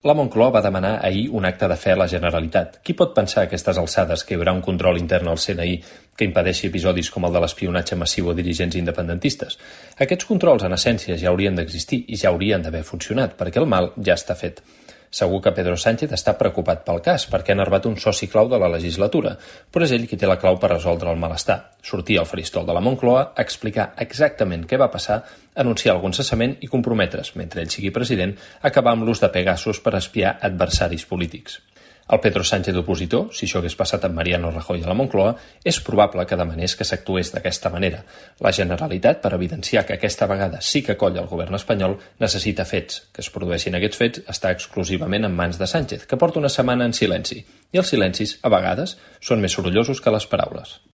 La Moncloa va demanar ahir un acte de fe a la Generalitat. Qui pot pensar a aquestes alçades que hi haurà un control intern al CNI que impedeixi episodis com el de l'espionatge massiu a dirigents independentistes? Aquests controls, en essència, ja haurien d'existir i ja haurien d'haver funcionat, perquè el mal ja està fet. Segur que Pedro Sánchez està preocupat pel cas, perquè ha enervat un soci clau de la legislatura, però és ell qui té la clau per resoldre el malestar. Sortir al faristol de la Moncloa, explicar exactament què va passar, anunciar algun cessament i comprometre's, mentre ell sigui president, acabar amb l'ús de Pegasus per espiar adversaris polítics. El Pedro Sánchez opositor, si això hagués passat amb Mariano Rajoy a la Moncloa, és probable que demanés que s'actués d'aquesta manera. La Generalitat, per evidenciar que aquesta vegada sí que colla el govern espanyol, necessita fets. Que es produeixin aquests fets està exclusivament en mans de Sánchez, que porta una setmana en silenci. I els silencis, a vegades, són més sorollosos que les paraules.